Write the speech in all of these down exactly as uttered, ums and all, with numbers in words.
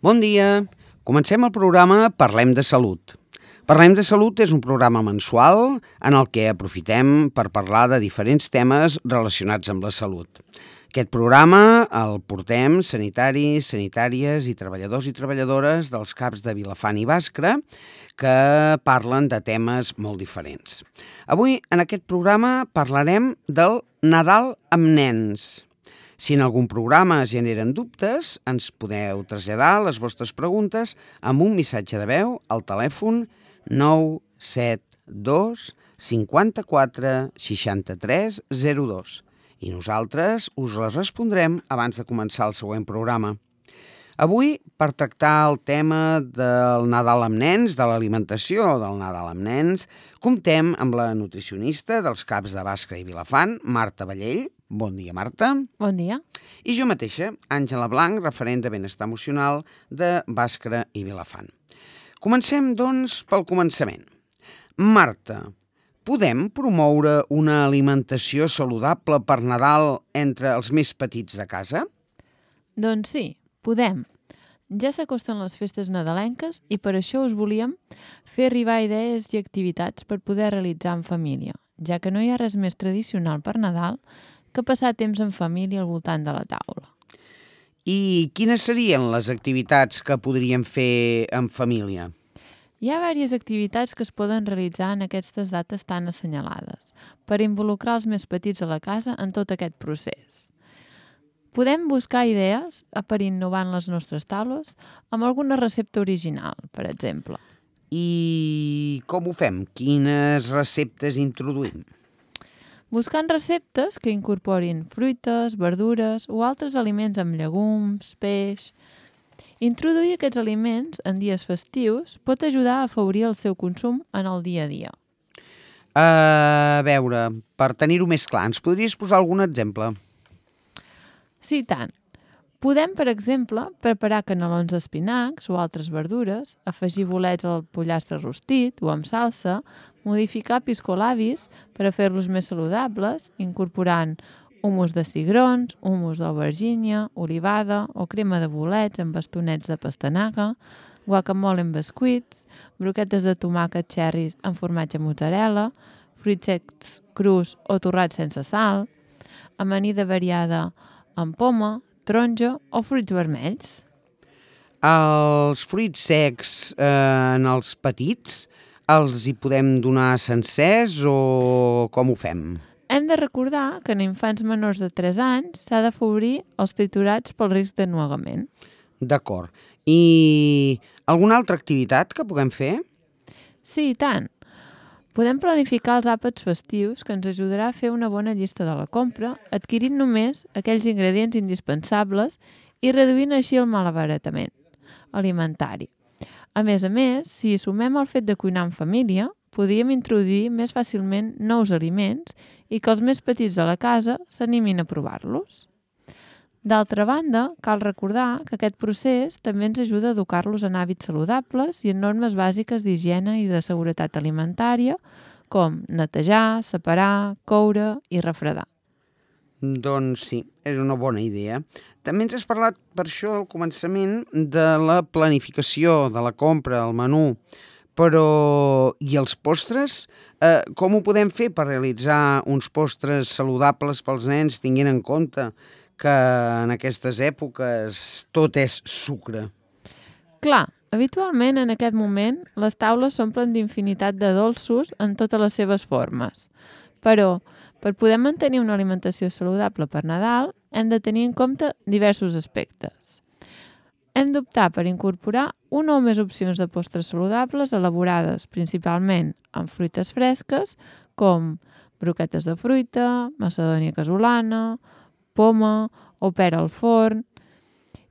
Bon dia. Comencem el programa Parlem de Salut. Parlem de Salut és un programa mensual en el que aprofitem per parlar de diferents temes relacionats amb la salut. Aquest programa el portem sanitaris, sanitàries i treballadors i treballadores dels CAPs de Vilafant i Bàscara que parlen de temes molt diferents. Avui, en aquest programa, parlarem del Nadal amb nens. Si en algun programa generen dubtes, ens podeu traslladar les vostres preguntes amb un missatge de veu al telèfon nou set dos cinquanta-quatre seixanta-tres zero dos i nosaltres us les respondrem abans de començar el següent programa. Avui, per tractar el tema del Nadal amb nens, de l'alimentació del Nadal amb nens, comptem amb la nutricionista dels CAPs de Bàscara i Vilafant, Marta Vallell. Bon dia, Marta. Bon dia. I jo mateixa, Àngela Blanc, referent de benestar emocional de Bàscara i Vilafant. Comencem, doncs, pel començament. Marta, podem promoure una alimentació saludable per Nadal entre els més petits de casa? Doncs sí, podem. Ja s'acosten les festes nadalenques i per això us volíem fer arribar idees i activitats per poder realitzar en família, ja que no hi ha res més tradicional per Nadal que passar temps en família al voltant de la taula. I quines serien les activitats que podríem fer en família? Hi ha diverses activitats que es poden realitzar en aquestes dates tan assenyalades per involucrar els més petits de la casa en tot aquest procés. Podem buscar idees per innovar en les nostres taules amb alguna recepta original, per exemple. I com ho fem? Quines receptes introduïm? Buscant receptes que incorporin fruites, verdures o altres aliments amb llegums, peix. Introduir aquests aliments en dies festius pot ajudar a afavorir el seu consum en el dia a dia. A veure, per tenir-ho més clar, ens podries posar algun exemple? Sí, tant. Podem, per exemple, preparar canelons d'espinacs o altres verdures, afegir bolets al pollastre rostit o amb salsa, modificar piscolabis per a fer-los més saludables, incorporant humus de cigrons, humus d'aubergínia, olivada o crema de bolets amb bastonets de pastanaga, guacamole amb bescuits, broquetes de tomàquet cherries amb formatge mozzarella, fruits secs crus o torrats sense sal, amanida variada amb poma, taronja o fruits vermells. Els fruits secs eh, en els petits els hi podem donar sencers o com ho fem? Hem de recordar que en infants menors de tres anys s'ha d'afavorir els triturats pel risc d'ennuegament. D'acord. I alguna altra activitat que puguem fer? Sí, i tant. Podem planificar els àpats festius que ens ajudarà a fer una bona llista de la compra, adquirint només aquells ingredients indispensables i reduint així el malabaratament alimentari. A més a més, si hi sumem el fet de cuinar en família, podríem introduir més fàcilment nous aliments i que els més petits de la casa s'animin a provar-los. D'altra banda, cal recordar que aquest procés també ens ajuda a educar-los en hàbits saludables i en normes bàsiques d'higiene i de seguretat alimentària, com netejar, separar, coure i refredar. Doncs sí, és una bona idea. També ens has parlat per això al començament de la planificació de la compra, el menú, però i els postres? Eh, com ho podem fer per realitzar uns postres saludables pels nens tinguent en compte que en aquestes èpoques tot és sucre? Clar, habitualment en aquest moment les taules s'omplen d'infinitat de dolços en totes les seves formes. Però, per poder mantenir una alimentació saludable per Nadal, hem de tenir en compte diversos aspectes. Hem d'optar per incorporar una o més opcions de postres saludables elaborades principalment amb fruites fresques, com broquetes de fruita, macedònia casolana, poma o pera al forn,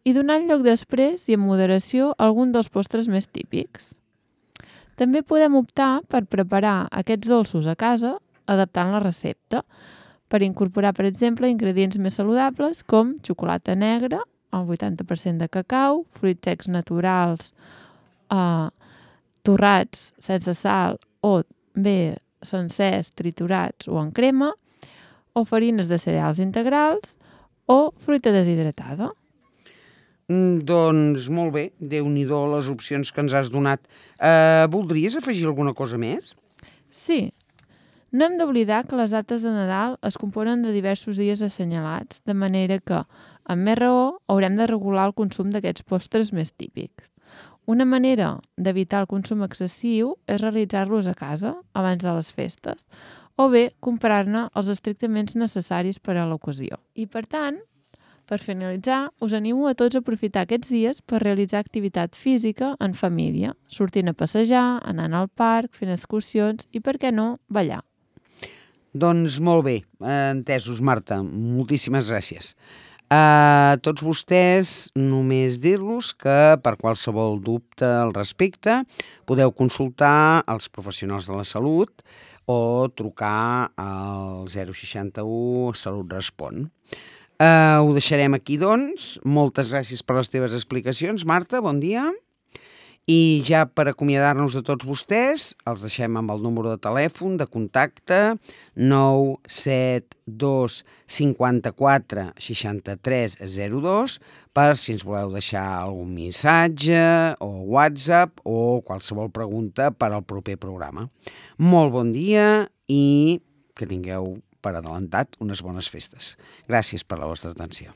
i donant lloc després i en moderació a algun dels postres més típics. També podem optar per preparar aquests dolços a casa adaptant la recepta, per incorporar, per exemple, ingredients més saludables com xocolata negra, el vuitanta per cent de cacau, fruits secs naturals, eh, torrats sense sal o bé sencers, triturats o en crema, o farines de cereals integrals o fruita deshidratada. Mm, Doncs molt bé, Déu-n'hi-do les opcions que ens has donat. Eh, voldries afegir alguna cosa més? Sí, no hem d'oblidar que les dates de Nadal es componen de diversos dies assenyalats, de manera que, amb més raó, haurem de regular el consum d'aquests postres més típics. Una manera d'evitar el consum excessiu és realitzar-los a casa abans de les festes, o bé comprar-ne els estrictament necessaris per a l'ocasió. I per tant, per finalitzar, us animo a tots a aprofitar aquests dies per realitzar activitat física en família, sortint a passejar, anant al parc, fent excursions i, per què no, ballar. Doncs molt bé, entesos, Marta. Moltíssimes gràcies. A tots vostès només dir-los que per qualsevol dubte al respecte podeu consultar els professionals de la salut o trucar al zero seixanta-u Salut Respon. Uh, ho deixarem aquí, doncs. Moltes gràcies per les teves explicacions, Marta, bon dia. I ja per acomiadar-nos de tots vostès, els deixem amb el número de telèfon de contacte nou set dos cinquanta-quatre seixanta-tres zero dos per si ens voleu deixar algun missatge o WhatsApp o qualsevol pregunta per al proper programa. Molt bon dia i que tingueu per adelantat unes bones festes. Gràcies per la vostra atenció.